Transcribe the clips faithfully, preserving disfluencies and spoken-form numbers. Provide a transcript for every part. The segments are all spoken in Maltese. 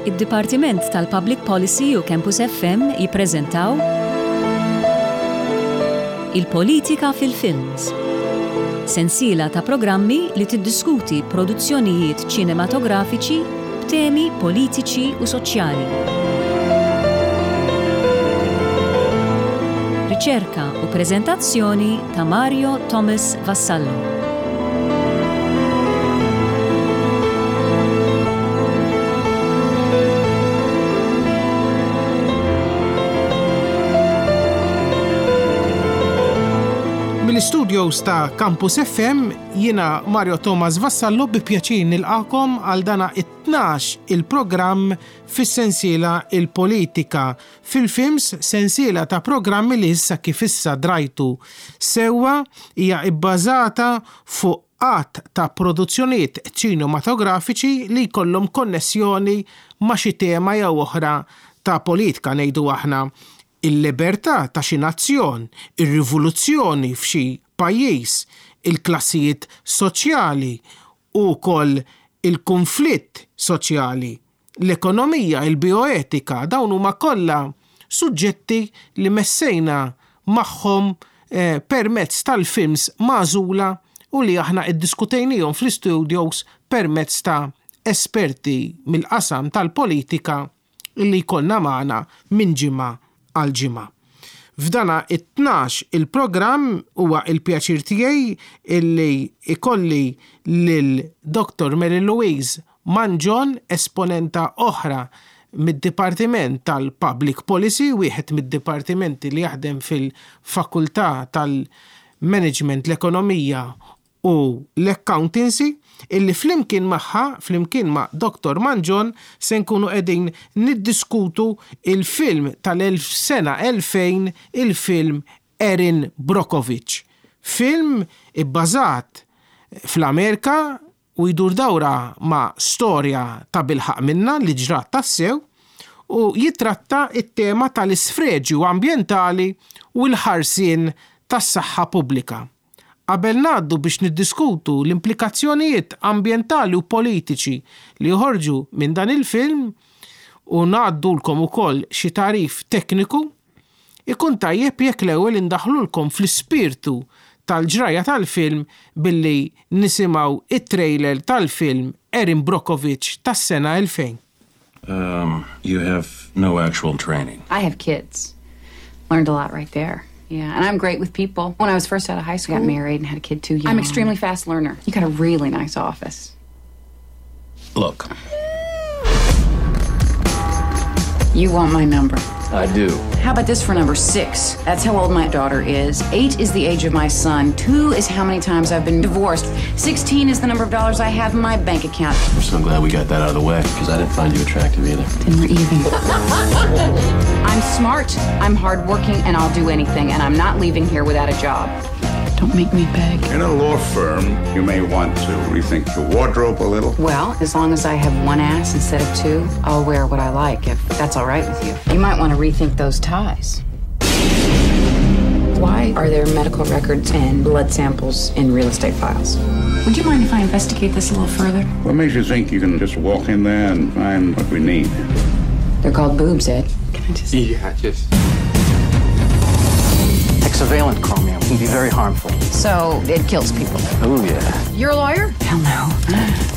Id-Dipartiment tal-Public Policy u Campus F M jippreżentaw Il-Politika fil-Films. Sensiela ta' programmi li tiddiskuti produzzjonijiet ċinematografiċi b'temi politiċi u soċjali. Riċerka u preżentazzjoni ta' Mario Thomas Vassallo. Mill-studios ta' Campus F M jiena Mario Thomas Vassallo bi pjaċir nilqagħkom għal dana it-tnax il-programm fis-sensiela Il-Politika fil-Films, sensiela ta' programmi li issa kif issa drajtu sewwa hija ibbażata fuq għadd ta' produzzjonijiet ċinematografiċi li jkollhom konnessjoni ma' xi tema jew oħra ta' politika, ngħidu aħna il-libertà ta' xi nazzjon, ir-rivoluzzjoni f'xi pajjiż, il-klassijiet soċjali u wkoll il-konflitt soċjali, l-ekonomija, il-bioetika, dawn huma kollha suġġetti li messejna magħhom eh, permezz tal-films magħżula u li aħna iddiskutejnihom fl-studios permezz ta' esperti mill-qasam tal-politika illi jkollna magħna minn ġimgħa għal ġimgħa. F'dana it-tnax il-programm huwa il-pjaċir tiegħi illi ikolli lil Doktor Mary Louise Mangion, esponenta oħra mid-Dipartiment tal-Public Policy, wieħed mid-dipartimenti li jaħdem fil-Fakultà tal-Management, l-Ekonomija u l-Accountancy, illi flimkien magħha, flimkien ma' Doktor Mangion, se nkunu qegħdin niddiskutu il-film tal-elf sena elfejn, il-film Erin Brockovich. Film ibbażat fl-Amerika u jdur dawra ma' storja ta' bilħaq minna li ġrat tassew u jitratta it-tema tal-isfreġju ambjentali u l-ħarsien tas-saħħa pubblika. Qabel ngħaddu biex niddiskutu l-implikazzjonijiet ambjentali u politiċi li joħorġu minn dan il-film u ngħaddulkom ukoll xi tarif tekniku, ikun tajjeb jekk l-ewwel indaħlulkom fl-ispirtu tal-ġraja tal-film billi nisimgħu it-trailer tal-film Erin Brockovich tas-sena elfejn. Um, you have no actual training. I have kids. Learned a lot right there. Yeah, and I'm great with people. When I was first out of high school, I got married and had a kid too young. I'm extremely fast learner. You got a really nice office. Look, You want my number. I do. How about this for number six? That's how old my daughter is. Eight is the age of my son. Two is how many times I've been divorced. Sixteen is the number of dollars I have in my bank account. I'm so glad we got that out of the way because I didn't find you attractive either. Then we're even. I'm smart, I'm hardworking, and I'll do anything, and I'm not leaving here without a job. Don't make me beg. In a law firm, you may want to rethink your wardrobe a little. Well, as long as I have one ass instead of two, I'll wear what I like, if that's all right with you. You might want to rethink those ties. Why are there medical records and blood samples in real estate files? Would you mind if I investigate this a little further? What makes you think you can just walk in there and find what we need? They're called boobs, Ed. Can I just... Yeah, just. Hexavalent chromium can be very harmful. So it kills people. Oh, yeah. You're a lawyer? Hell no.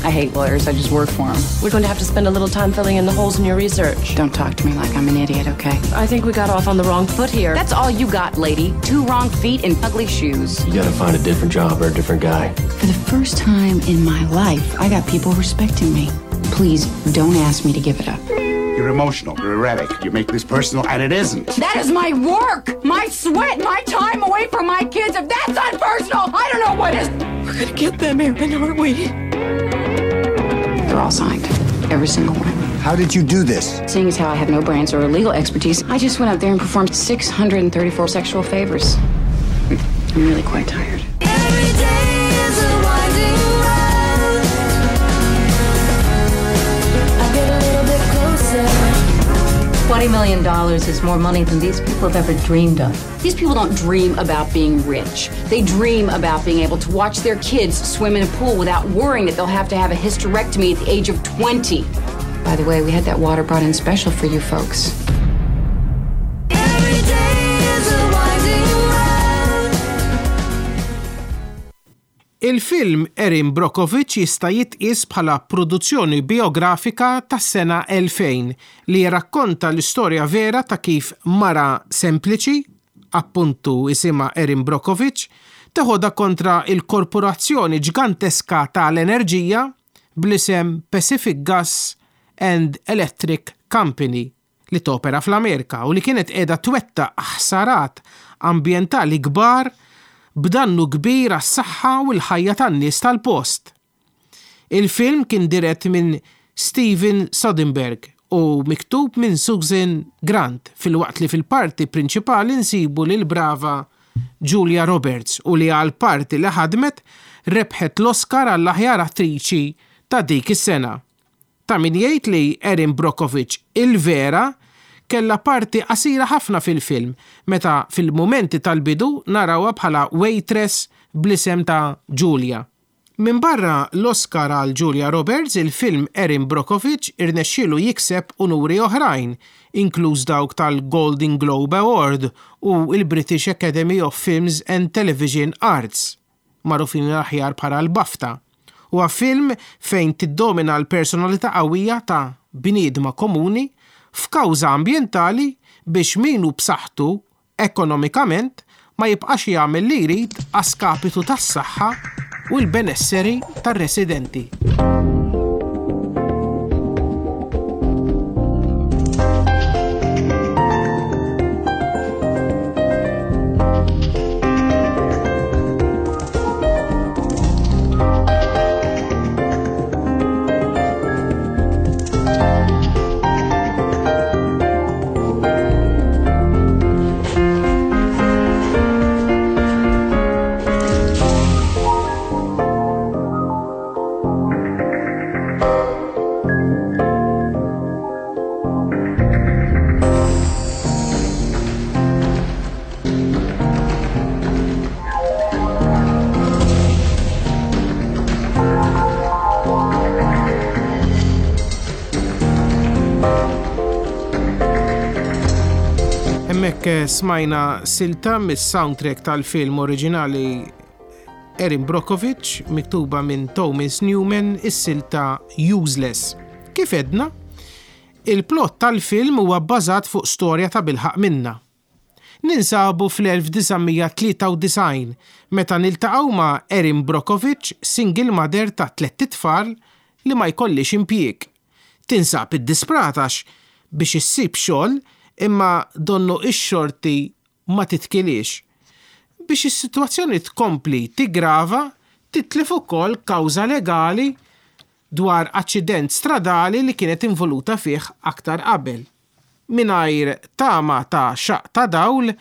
I hate lawyers. I just work for them. We're going to have to spend a little time filling in the holes in your research. Don't talk to me like I'm an idiot, okay? I think we got off on the wrong foot here. That's all you got, lady. Two wrong feet and ugly shoes. You gotta find a different job or a different guy. For the first time in my life, I got people respecting me. Please don't ask me to give it up. You're emotional, you're erratic, you make this personal, and it isn't. That is my work, my sweat, my time away from my kids. If that's not personal, I don't know what is. We're gonna get them, Erin, aren't we? They're all signed, every single one. How did you do this? Seeing as how I have no brains or legal expertise, I just went out there and performed six hundred thirty-four sexual favors. I'm really quite tired. Every day is a winding road. I get a little bit closer. twenty million dollars is more money than these people have ever dreamed of. These people don't dream about being rich. They dream about being able to watch their kids swim in a pool without worrying that they'll have to have a hysterectomy at the age of twenty. By the way, we had that water brought in special for you folks. Every day is a winding road. Il-film Erin Brockovich jista' jitqies bħala produzzjoni biografika tas-sena elfejn li jirrakkonta l-istorja vera ta' kif mara sempliċi, appuntu isimha Erin Brockovich, teħodha kontra il-korporazzjoni ġganteska tal-enerġija bl-isem Pacific Gas and Electric Company li topera fl-Amerika u li kienet qiegħda twettaq ħsarat ambjentali kbar b'dannu kbir għas-saħħa u l-ħajja tan-nies tal-post. Il-film kien dirett minn Steven Soderbergh u miktub minn Susan Grant, filwaqt li fil-parti prinċipali nsibu lil brava Julia Roberts u li għal parti li ħadmet rebħet l-Oscar għall-aħjar attriċi ta' dik is-sena. Ta' min jgħid li Erin Brockovich il-vera kella parti qasira ħafna fil-film, meta fil-mumenti tal-bidu narawha bħala waitress bl-isem ta' Julia. Min barra l-Oscar għal Julia Roberts, il-film Erin Brockovich irnexxielu jikseb unuri oħrajn, inkluż dawk tal-Golden Globe Award u il-British Academy of Films and Television Arts, magħrufin l-aħjar bħala l-BAFTA. Huwa film fejn tiddomina l-personalità qawwija ta' bniedma komuni f'kawża ambjentali biex min hu b'saħħtu ekonomikament ma jibqax jagħmel li jrid għaskapitu tas-saħħa u l-benesseri tar-residenti. Hemmhekk smajna silta mis-soundtrack tal-film oriġinali Erin Brockovich, miktuba minn Thomas Newman, is-silta Useless. Kif edna, il-plot tal-film huwa bbażat fuq storja ta' bilħaq minna. Ninsabu fl-elf disa' mija tlieta u disgħin meta niltaqgħu ma' Erin Brockovich, single mother ta' tlett itfal li ma jkollix impjieg. Tinsab iddisprata għax biex issib xogħol imma donnu ix-xorti ma titkilix. Biex is-sitwazzjoni tkompli tigrava, titlef ukoll kawża legali dwar aċċident stradali li kienet involuta fih aktar qabel. Mingħajr tama ta' xaq ta' dawl,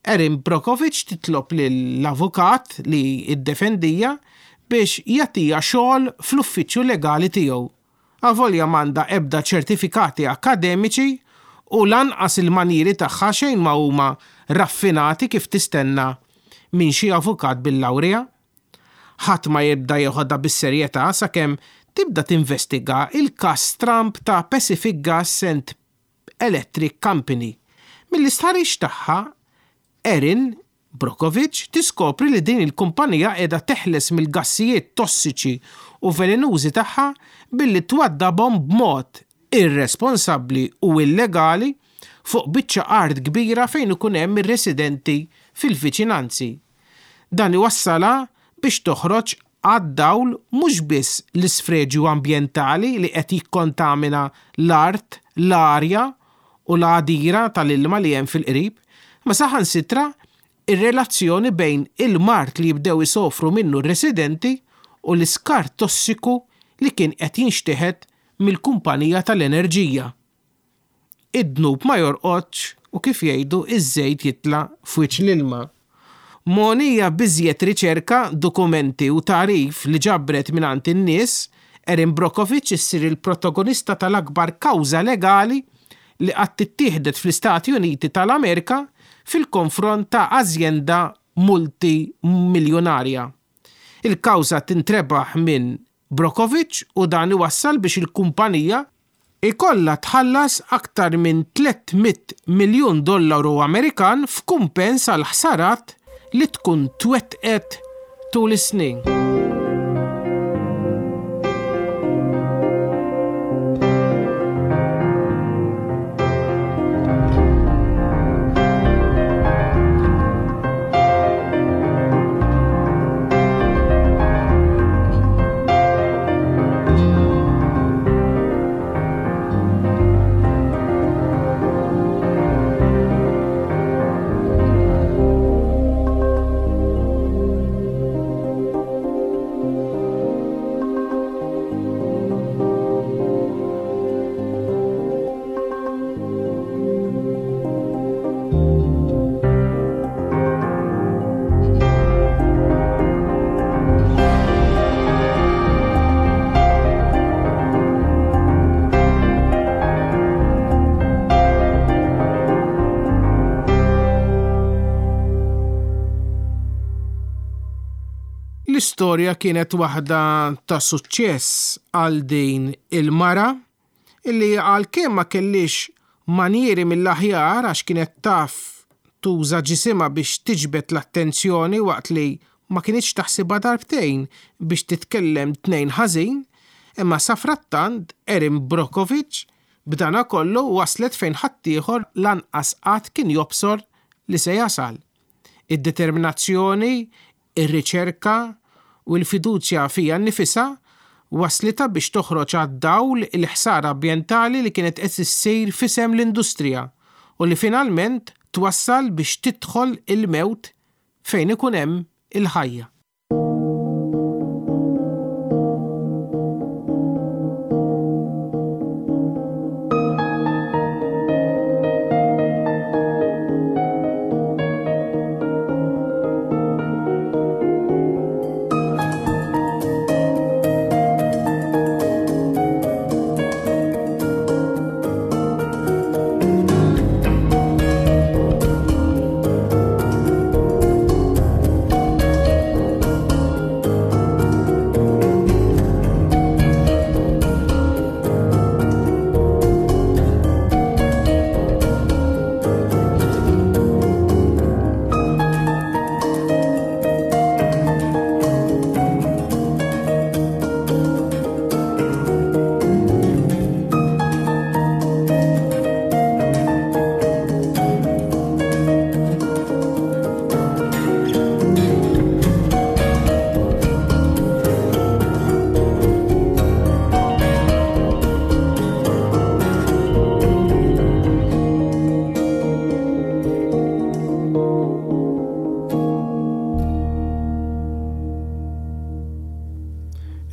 Erin Brockovich titlob lill-avukat li iddefendija biex jagħtiha xogħol fl-uffiċċju legali tiegħu. Avolja m'għandha ebda ċertifikati akademiċi u lanqas il-manieri tagħha xejn ma huma raffinati kif tistenna minn xi avukat bil-lawrija. Ħadd ma jibda jeħodha bis-serjetà sakemm tibda tinvestiga il-każ Trump ta' Pacific Gas and Electric Company. Mill-istħarriġ tagħha, Erin Brockovich tiskopri li din il-kumpanija qiegħda teħles mill-gassijiet tossiċi u velenużi tagħha billi twaddabhom b'mod irresponsabbli u illegali fuq biċċa art kbira fejn ikun hemm ir-residenti fil-viċinanzi. Dan iwassalha biex toħroġ għad-dawl mhux biss l-isfreġju ambjentali li qed jikkontamina l-art, l-arja u l-għadira tal-ilma li hemm fil-qrib, ma saħansitra ir-relazzjoni bejn il-mard li jibdew isofru minnu r-residenti u l-iskart tossiku li kien qed jinxteħet mill-kumpanija tal-enerġija. Id-dnub ma jorqodx u kif jgħidu iż-żejt jitla' f'wiċċ l-ilma. Mogħnija biżjed riċerka, dokumenti u tagħrif li ġabret mingħand in-nies, Erin Brockovich issir il-protagonista tal-akbar kawża legali li qatt ittieħdet fl-Istati Uniti tal-Amerika fil-konfront ta' azjenda multimiljonarja. Il-kawża tintrebaħ minn Brockovich u dan iwassal biex il-kumpanija Ikollha tħallas aktar minn tliet mitt miljun dollaru Amerikan f'kumpens għal ħsarat li tkun twettqet tul is-snin. L-istorja kienet waħda ta' suċċess għal din il-mara illi għalkemm ma kellix manieri mill-aħjar għax kienet taf tuża ġisimha biex tiġbed l-attenzjoni waqt li ma kinitx taħsibha darbtejn biex titkellem tnejn ħażin, imma safrattant Erin Brockovich b'dana kollu waslet fejn ħaddieħor lanqas qatt kien jobsor li se jasal. Id-determinazzjoni, ir-riċerka u l-fiduċja fija nnifisha waslitha biex toħroġ għad-dawl il-ħsara ambjentali li kienet qed issir f'isem l-industrija u li finalment twassal biex tidħol il-mewt fejn ikun hemm il-ħajja.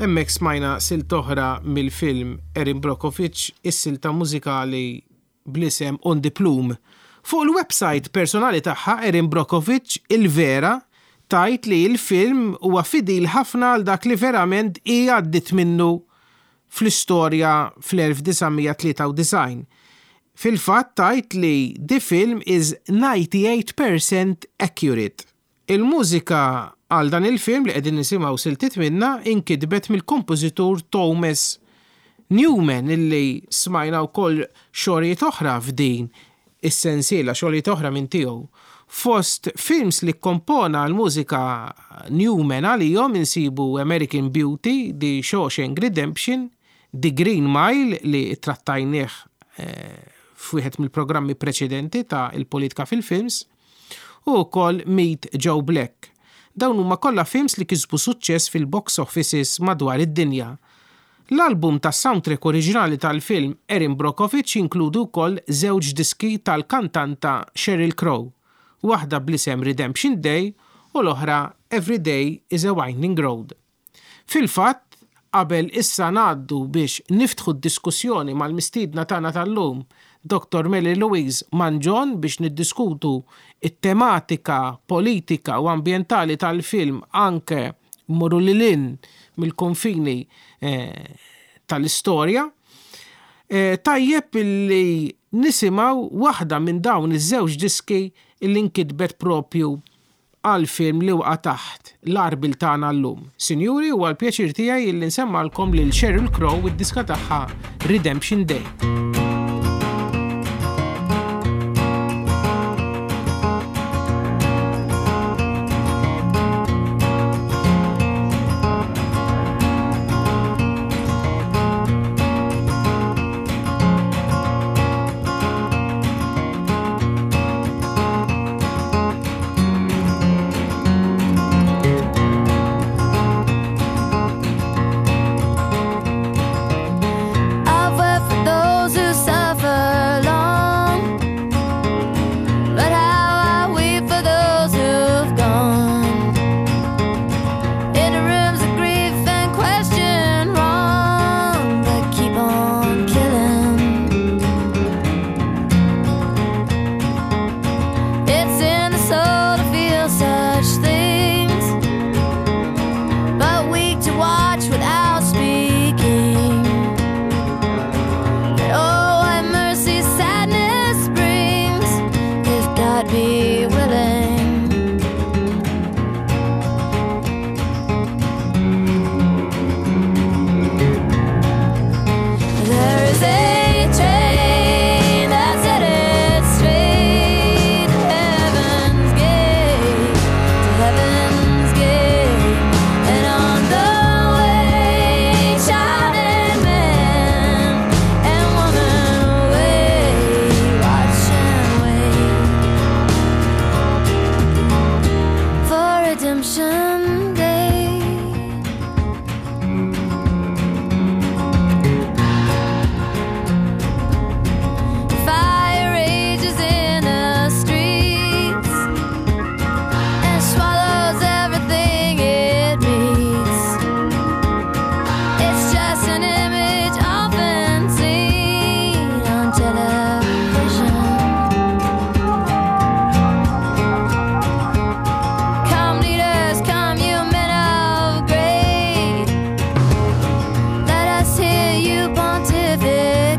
Hemmhekk smajna silt oħra mill-film Erin Brockovich, is-silta mużikali bl-isem On the Plume. Fuq il-website personali tagħha Erin Brockovich il-vera tajt li l-film huwa fidil ħafna għal dak li verament hi għaddit minnu fl-istorja fl-elf disa' mija tlieta u disgħin. Fil-fatt tajt li the film is ninety-eight percent accurate. Il-mużika għal dan il-film li qegħdin nisimgħu siltiet minna inkitbet mill-kompożitur Thomas Newman illi smajna wkoll xogħlijiet oħra f'din is-sensiela, xogħlijiet oħra minn tiegħu. Fost films li kkompona l-mużika Newman għalihom insibu American Beauty, The Shawshank Redemption, The Green Mile li trattajnieh, eh, f'wieħed mill-programmi preċedenti ta' il-politika fil-films, u wkoll Meet Joe Black. Dawn huma kollha films li kisbu suċċess fil-box offices madwar id-dinja. L-album tas soundtrack oriġinali tal-film Erin Brockovich jinkludu wkoll żewġ diski tal-kantanta Sheryl Crow, waħda bl-isem Redemption Day u l-oħra Every Day is a Winding Road. Fil-fatt, qabel issa ngħaddu biex niftħu d-diskussjoni mal-mistiedna tagħna tal-lum, Doktor Mary Louise Mangion, biex niddiskutu it-tematika politika u ambjentali tal-film anke mmorru lil hinn mill-konfini, eh, tal-istorja. Eh, tajjeb illi nisimgħu waħda minn dawn iż-żewġ diski illi nkitbet propju għal film li waqa' taħt l-għarbiel tagħna llum. Sinjuri, huwa l-pjaċir tiegħi li nsemmalkom lil Sheryl Crow id-diska tagħha Redemption Day. I've wept for those who suffer long, but how I weep for those who've gone into rooms of grief and question wrong, but keep on killing. It's in the soul to feel such things, but weak to watch without speaking. Oh, what mercy sadness brings, if God be willing. There is a train that's headed straight to heaven's gate, to heaven's gate, and on the way, child and man and woman wait, watch and wait for redemption day. Fire rages in the streets and swallows everything it meets. It's just an image often seen on television. Come leaders, come you men of great. Let us hear you pontificate.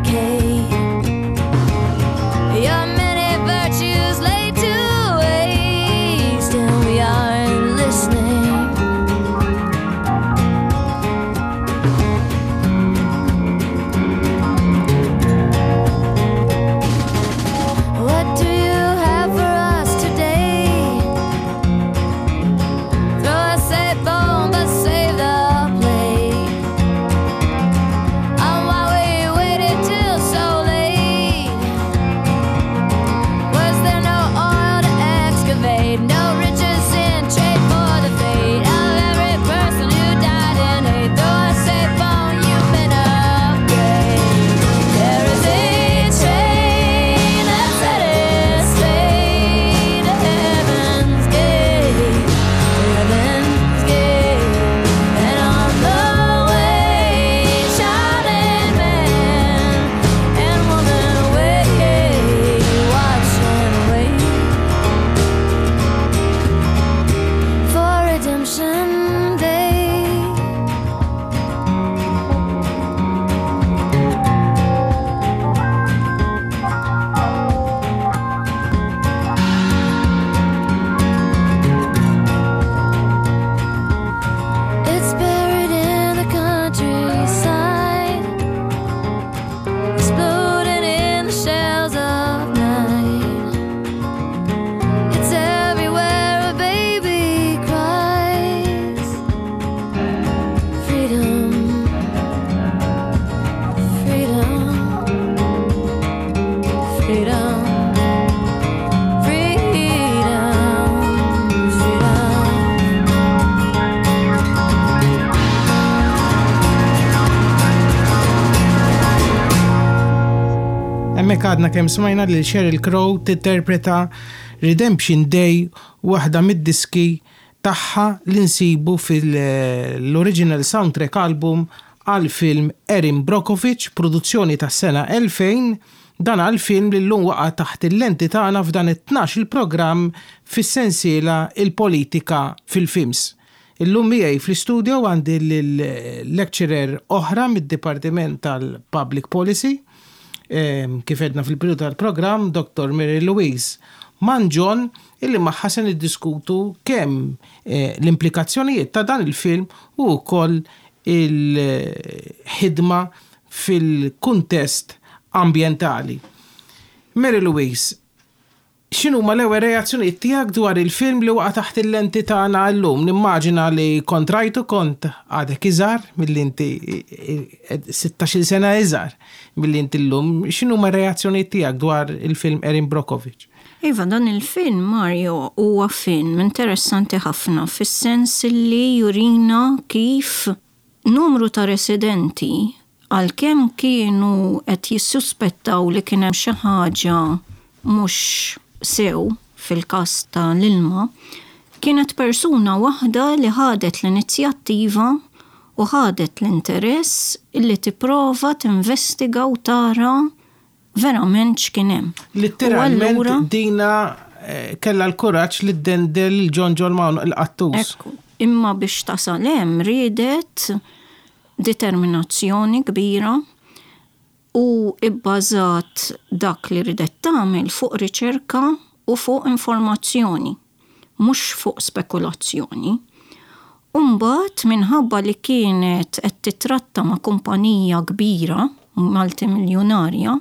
Your many virtues laid to waste, and we aren't listening. What do you have for us today? Throw us a bone, but save the plate. Oh, why we waited till so late? Was there no oil to excavate? No riches in trade for the fate of every person who died in hate. Throw us a bone, you men of great. There is a train that's headed straight to heaven's gate, to heaven's gate, and on the way, child and man and woman wait, watch and wait for redemption day. It's buried in the countryside, exploding in the shells of night. It's everywhere a baby cries. Freedom, freedom, freedom, freedom, freedom. Hemmhekk għadna kemm smajna lil Sheryl Crow tinterpreta Redemption Day, waħda mid-diski tagħha li nsibu fil-original soundtrack album għal film Erin Brockovich, produzzjoni tas sena elfejn, dan għal film li llum waqa' taħt il-lenti tagħna f'dan it-tnax il-programm fis-sensiela Il-Politika fil-Films. Illum miegħi fl-istudio għandi l-lecturer oħra mid-Dipartiment tal-Public Policy, em, kif għedna fil-bidu tal-programm, Doktor Mary Louise Mangion, illi magħha se niddiskutu kemm eh, l-implikazzjonijiet ta' dan il-film u wkoll il-ħidma fil-kuntest ambjentali. Mary Louise, x'inhuma l-ewwel reazzjonijiet tiegħek dwar il-film li waqa' taħt il-lenti tagħna llum? Nimmaġina li kont rajtu, kont għadek iżgħar milli inti, sittax-il sena iżgħar milli inti llum. X'inhuma reazzjonijiet tiegħek dwar il-film Erin Brockovich? Iva, dan il-film, Mario, huwa film interessanti ħafna fis-sens li jurina kif numru ta' residenti, għalkemm kienu qed jissuspettaw li kien hemm xi ħaġa mhux sew fil-każ ta' l-ilma, kienet persuna waħda li ħadet l-inizjattiva u ħadet l-interess illi tipprova tinvestiga u tara verament x'kien hemm. Literalment dina eh, kellha l-kuraġġ li ddendel il-ġonġol ma' il-qattus. Ekku. Imma biex tasal hemm riedet determinazzjoni kbira u ibbażat dak li ridet tagħmel fuq riċerka u fuq informazzjoni, mhux fuq spekulazzjoni. Umbagħad, minħabba li kienet qed titratta ma' kumpanija kbira, multimiljonarja,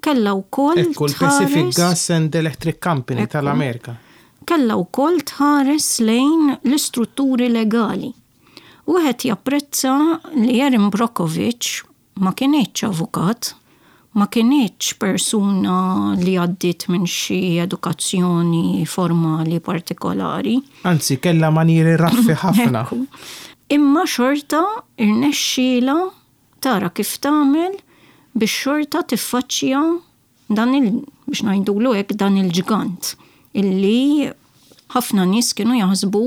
kellha wkoll Ekku, l-Pacific Gas and Electric Company tal-Amerika. Kellha wkoll tħares lejn l-istrutturi legali. Wieħed japprezza li Erin Brockovich ma kienx avukat, ma kienx persuna li għaddit minn xi edukazzjoni formali partikolari. Anzi, kella manieri raffi ħafna. Imma xorta irnexxiela tara kif tagħmel biex xorta tiffaċċja dan il biex ngħidulu hekk, dan il-ġgant illi ħafna nies kienu jaħsbu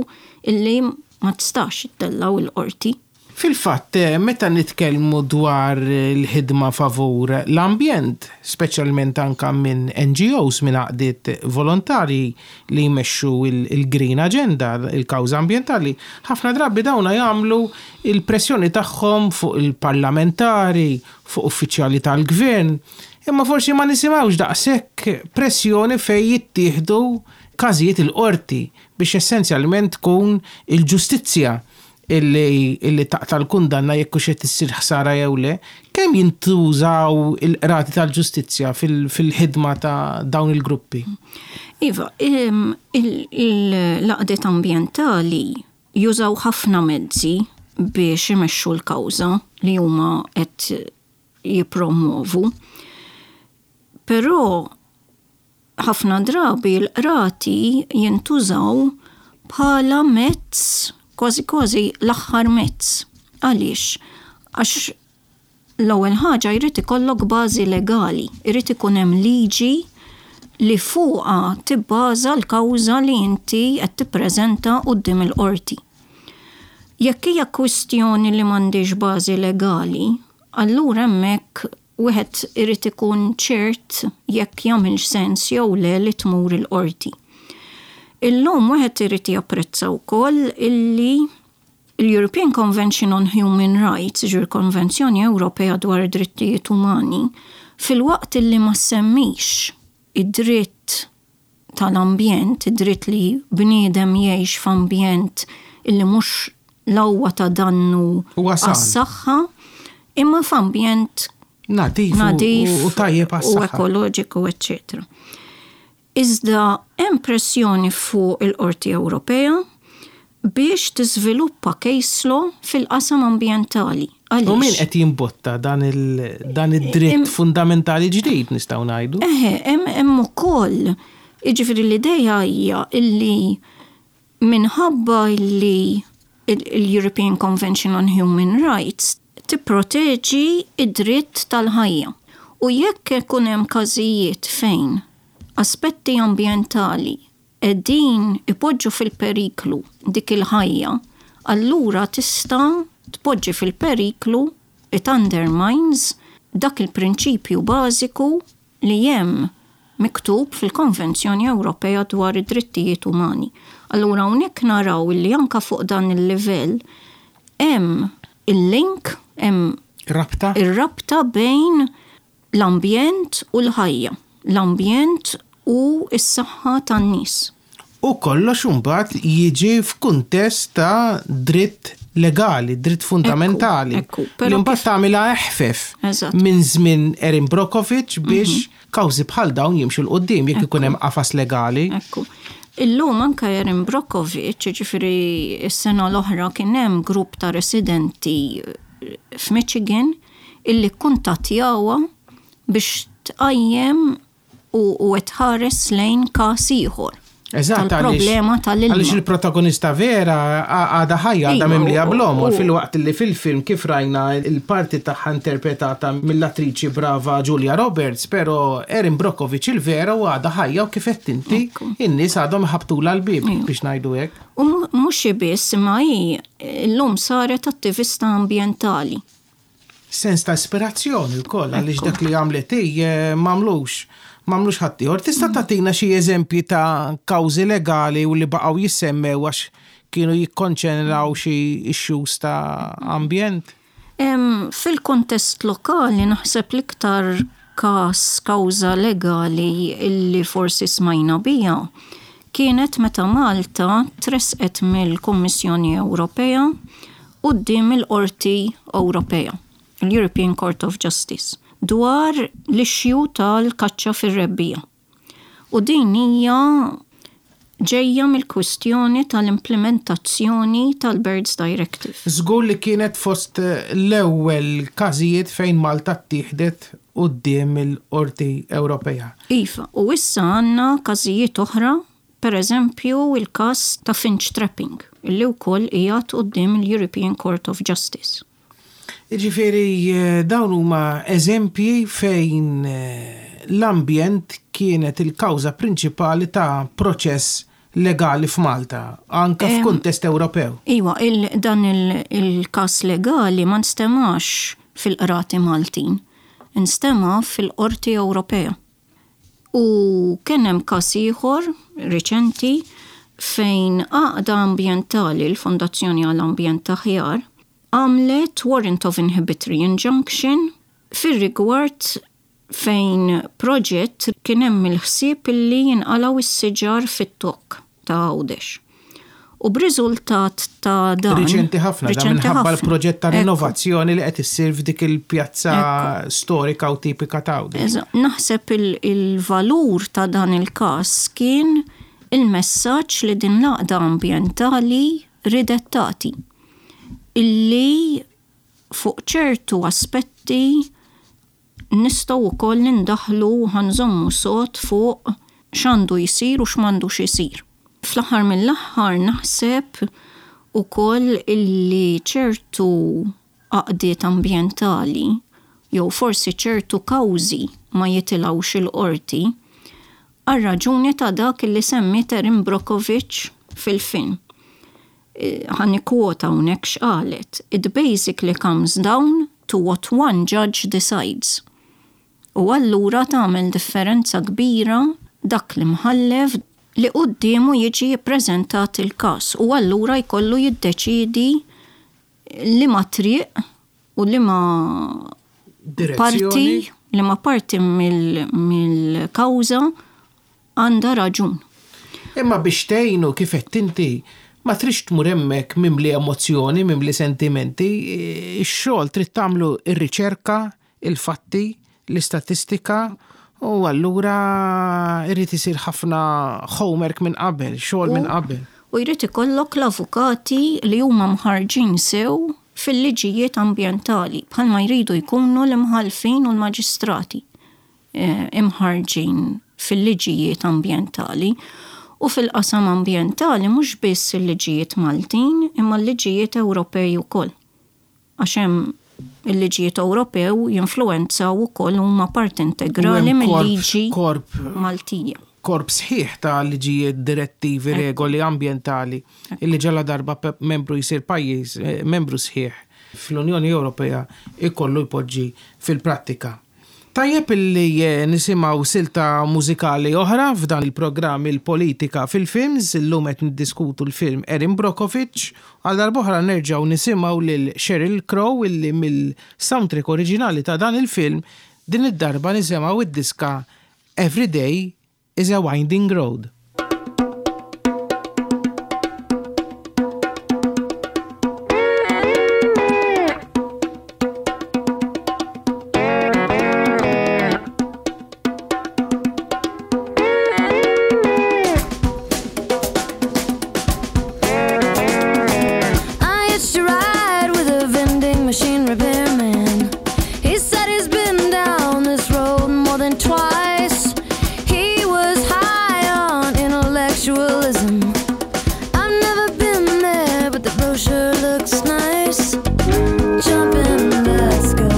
illi ma tistax ittellgħu il-qorti. Fil-fatt, eh, meta nitkellmu dwar il-ħidma favur l-ambjent, speċjalment anka minn N G Os, minn għaqdiet volontari li jmexxu il-Green Agenda, il-kawża ambjentali, ħafna drabi dawna jagħmlu il-pressjoni tagħhom fuq il-parlamentari, fuq uffiċjali tal-gvern, imma forsi ma nisimgħux daqshekk pressjoni fejn jittieħdu każijiet il-qorti biex essenzjalment tkun il-ġustizzja illi, illi taqta' l-kundanna jekk hux qed issir ħsara jew le. Kemm jintużaw il-qrati tal-ġustizzja fil-ħidma ta' dawn il-gruppi? Iva, l-għaqdiet ambjentali jużaw ħafna mezzi biex imexxu l-kawża li huma qed jipromovu. Però ħafna drabi l-qrati jintużaw bħala mezz, kważi kważi l-aħħar mezz. Għaliex? Għax l-ewwel ħaġa jrid ikollok bażi legali, jrid ikun hemm liġi li fuqha tibbaża l-kawża li inti qed tippreżenta quddiem il-qorti. Jekk hija kwistjoni li m'għandix bażi legali, allura hemmhekk wieħed irid ikun ċert jekk jagħmilx sens jew le li tmur il-qorti. Illum wieħed irid japprezza wkoll illi l-European Convention on Human Rights, ġifieri Konvenzjoni Ewropea dwar id-Drittijiet Umani, filwaqt illi ma semmix id-dritt tal-ambjent, id-dritt li bniedem jgħix f'ambjent illi mhux l-ewwa ta' dannu għas-saħħa, imma f'ambjent nadif, nadif u tajjeb u għas-saħħa. Ekoloġiku, eċċetera. Iżda hemm pressjoni fuq il-Qorti Ewropea biex tiżviluppa case law fil-qasam ambjentali. U min qed jimbotta dan il- dan id-dritt fundamentali ġdid, nistgħu ngħidu? Eħe, hemm hemm ukoll, jiġifieri l-idea hija illi minħabba illi il-European Convention on Human Rights tipproteġi id-dritt tal-ħajja. U jekk ikun hemm każijiet fejn aspetti ambjentali qegħdin ipoġġu fil-periklu dik il-ħajja, allura tista' tpoġġi fil-periklu, it undermines dak il-prinċipju bażiku li hemm miktub fil-Konvenzjoni Ewropea dwar id-Drittijiet Umani. Allura hawnhekk naraw li anka fuq dan il-livell hemm il-link, hemm rabta ir-rabta bejn l-ambjent u l-ħajja, l-ambjent u s-saħħa tan-nies. U kollox imbagħad jiġi f'kuntest ta' dritt legali, dritt fundamentali. Ekku, Li però mbagħad tagħmilha eħfef Eżatt. minn żmien Erin Brockovich biex kawżi bħal dawn jimxu 'l quddiem jekk ikun hemm qafas legali. Ekku. Illum anka Erin Brockovich, ġifieri s-sena l-oħra, kien hemm grupp ta' residenti f'Michigan illi kuntattjawha biex tqajjem u, u tħares lejn każ ieħor Eżatt, tal-problema tal-ilma. Għaliex il-protagonista vera għa- għadha ħajja, għadha Iva, mimlija u- bl-għomor, u- filwaqt li fil-film kif rajna il-parti tagħha interpretata mill-attriċi brava Julia Roberts, pero Erin Brockovich il-vera u għadha ħajja u kif qed inti in-nies għadhom ħabtula l-bib biex ngħidu hekk. U mu- mhux biss, imma hi llum saret attivista ambjentali. Sens ta' ispirazzjoni wkoll għaliex dak li għamlet hi eh, m'għamlux m'għamlux ħaddieħor. Tista' tagħtina xi eżempji ta' kawżi legali u li baqgħu jissemmew għax kienu jikkonċentraw xi issues ta' ambjent? Em, Fil-kontest lokali naħseb l-iktar kas kawża legali illi forsi smajna biha kienet meta Malta tresqet mill-Kummissjoni Ewropea quddiem il-Qorti Ewropea, l-European Court of Justice, dwar l-issue tal-kaċċa fir-rebbiegħa. U din hija ġejja mill-kwistjoni tal-implementazzjoni tal-Birds Directive. Żgur li kienet fost l-ewwel każijiet fejn Malta ttieħdet quddiem il-Qorti Ewropea. Iva, u issa għandna każijiet oħra, per eżempju il-każ ta' Finch Trapping, illi wkoll qiegħed quddiem il-European Court of Justice. Ġifieri, eh, dawn huma eżempji fejn eh, l-ambjent kienet il-kawża prinċipali ta' proċess legali f'Malta, anka Em, f'kuntest Ewropew. Iwa, il, dan il- il-każ legali ma nstemax fil-qrati Maltin, instema fil-Qorti Ewropea. U kien hemm każ ieħor riċenti fejn għaqda ambjentali, l-Fondazzjoni għall-Ambjent Aħjar, għamlet warrant of inhibitory injunction fir-rigward fejn proġett kien hemm il-ħsieb illi jinqalgħu is-siġar fit-Tokk ta' Għawdex. U b'riżultat ta' dan. Riċenti ħafna, da Riċenti minħabba ħafna. l-proġett ta' Ekku. rinnovazzjoni li qed issir f'dik il-pjazza storika u tipika ta' Għawdex. Eżatt, naħseb il- il-valur ta' dan il-każ kien il-messaġġ li din l-għaqda ambjentali ridet tagħti. Illi fuq ċertu aspetti nistgħu wkoll nindaħlu ħa nżommu sod fuq x'għandu jsir u x'm'għandux isir. Fl-aħħar mill-aħħar naħseb ukoll illi ċertu għaqdiet ambjentali jew forsi ċertu kawżi ma jitilgħux il-qorti għal raġuni ta' dak illi semmiet Erin Brockovich fil-film. Eh, Ħa nikkwota hawnhekk x'qalet: "It basically comes down to what one judge decides." U allura tagħmel differenza kbira dak l-imħallef li quddiemu jiġi ppreżentat il-każ u allura jkollu jiddeċidi liema triq u liema parti Direzzjoni. liema parti mill- mill-kawża għandha raġun. Imma biex tgħinu, kif qed inti, ma trix tmur hemmhekk mimli emozzjoni, mimli sentimenti, ix-xogħol trid tagħmlu ir-riċerka, il-fatti, l-istatistika u allura irid isir ħafna homework minn qabel, xogħol minn qabel. U jrid ikollok l-avukati li huma mħarġin sew fil-liġijiet ambjentali, bħalma jridu jkunu l-imħalfin u l-maġistrati eh, imħarġin fil-liġijiet ambjentali. U fil-qasam ambjentali mhux biss il-liġijiet Maltin, imma l-liġijiet Ewropej ukoll. Għax hemm il-liġijiet Ewropew jinfluwenzaw ukoll, huma parti integrali U hemm korp- mill-liġi korp Maltija. Korp sħiħ ta' liġijiet, direttivi, regoli ambjentali illi ġala darba pe- membru jisir pajjiż, eh, membru sħiħ fl-Unjoni Ewropea, ikollu jpoġġi fil-prattika. Tajjeb illi eh, nisimgħu silta mużikali oħra f'dan il-programm Il-Politika fil-Films. Illum qed niddiskutu l-film Erin Brockovich. Għal darb'oħra nerġgħu nisimgħu lil Sheryl Crow, illi mill-soundtrack oriġinali ta' dan il-film din id-darba nisimgħu id-diska Every Day is a Winding Road. I hitched a ride with a vending machine repairman. He said he's been down this road more than twice. He was high on intellectualism. I've never been there, but the brochure looks nice. Jump in, let's go.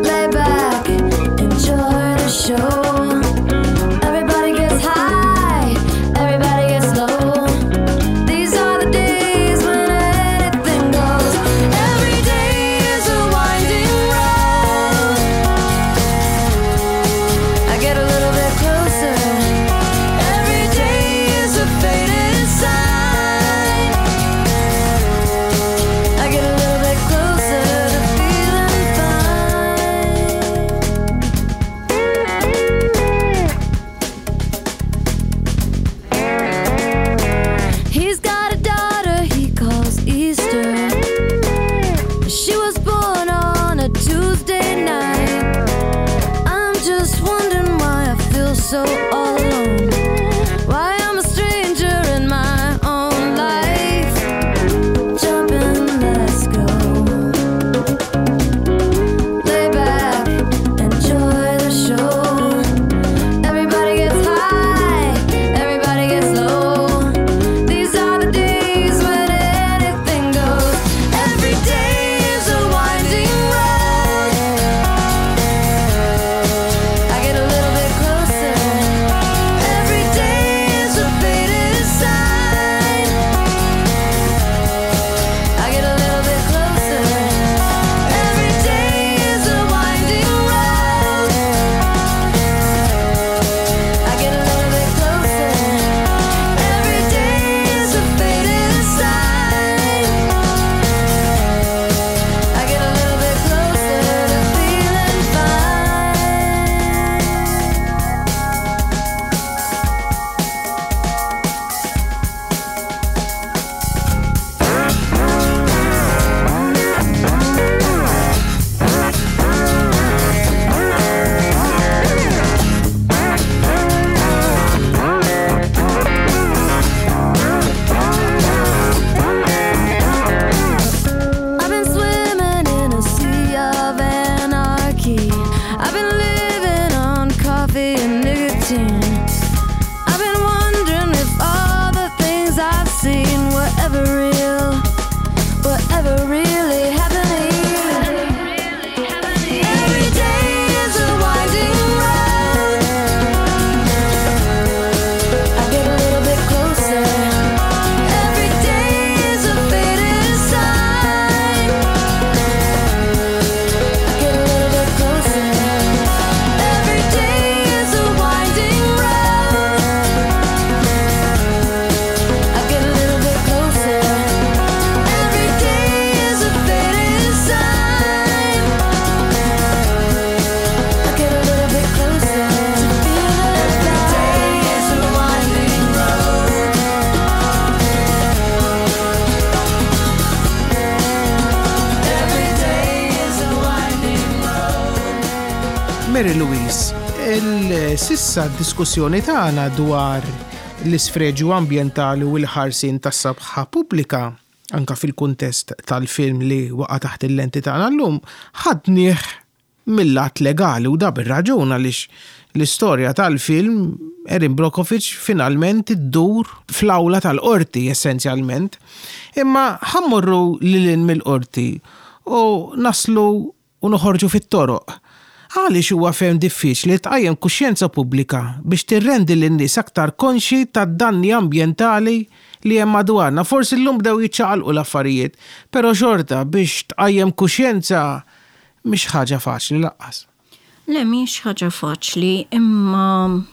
Lay back, enjoy the show. Everybody gets high, everybody gets low. These are the days when anything goes. Every day is a winding road. I get a little bit closer. Every day is a faded sign. I get a little bit closer to feeling fine. He's got a daughter he calls Easter. She was born on a Tuesday night. I'm just wondering why I feel so all alone. Why I'm a stranger in my own life. Jump in, let's go. Lay back, enjoy the show. Everybody gets high, everybody gets low. These are the days when anything goes. Every day is a winding road. I get a little bit closer. Every day is a faded sign. I get a little bit closer. Every day is a winding road. I get a little bit closer. Every day is a faded sign. I get a little bit closer to feeling fine. I've been swimming in a sea of anarchy. I've been living on coffee and nicotine. I've been wondering if all the things I've seen were ever real, were ever really happening. Every day is a winding road. I get a little bit closer. Every day is a faded sign. I get a little bit closer. Every day is a winding road. I get a little bit closer. Every day is a faded sign. I get a little bit closer to feeling. Every day is a winding road. Every day is a winding road. Mary Louise, il-sissa diskussjoni tagħna dwar l-isfreġju ambjentali u l-ħarsin tas-saħħa pubblika anka fil-kuntest tal-film li waqa' taħt il-lenti tagħna llum ħadnieh mill-lat legali u da bir-raġun għaliex l-istorja tal-film Erin Brockovich finalment iddur fl-awla tal-qorti essenzjalment. Imma ħa mmorru lil hinn mill-qorti u naslu u noħorġu fit-toroq. Għaliex huwa ferm diffiċli tqajjem kuxjenza pubblika biex tirrendi lin-nies aktar konxi tad-danni ambjentali li hemm madwarna. Forsi llum bdew jiċċaqalqu l-affarijiet, però xorta biex tqajjem kuxjenza mhix ħaġa faċli lanqas. Le, mhix ħaġa faċli, imma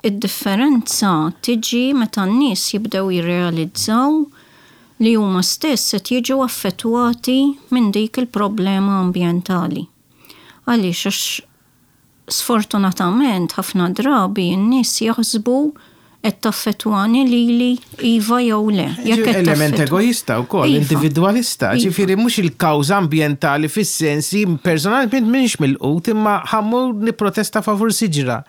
id-differenza tiġi meta n-nies jibdew jirrealizzaw li huma stess qed jiġu affettwati minn dik il-problema ambjentali. Għaliex għax Sfortunatament, ħafna drabi n-nies jaħsbu qed taffettwani lili iva jew le. Jekk qed Element taffettwa- egoista wkoll, Iva. individualista, Iva. Ġifieri mhux il-kawża ambjentali fis-sens jien personalment m'iniex milqut, imma ħa mmur nipprotesta favur siġra.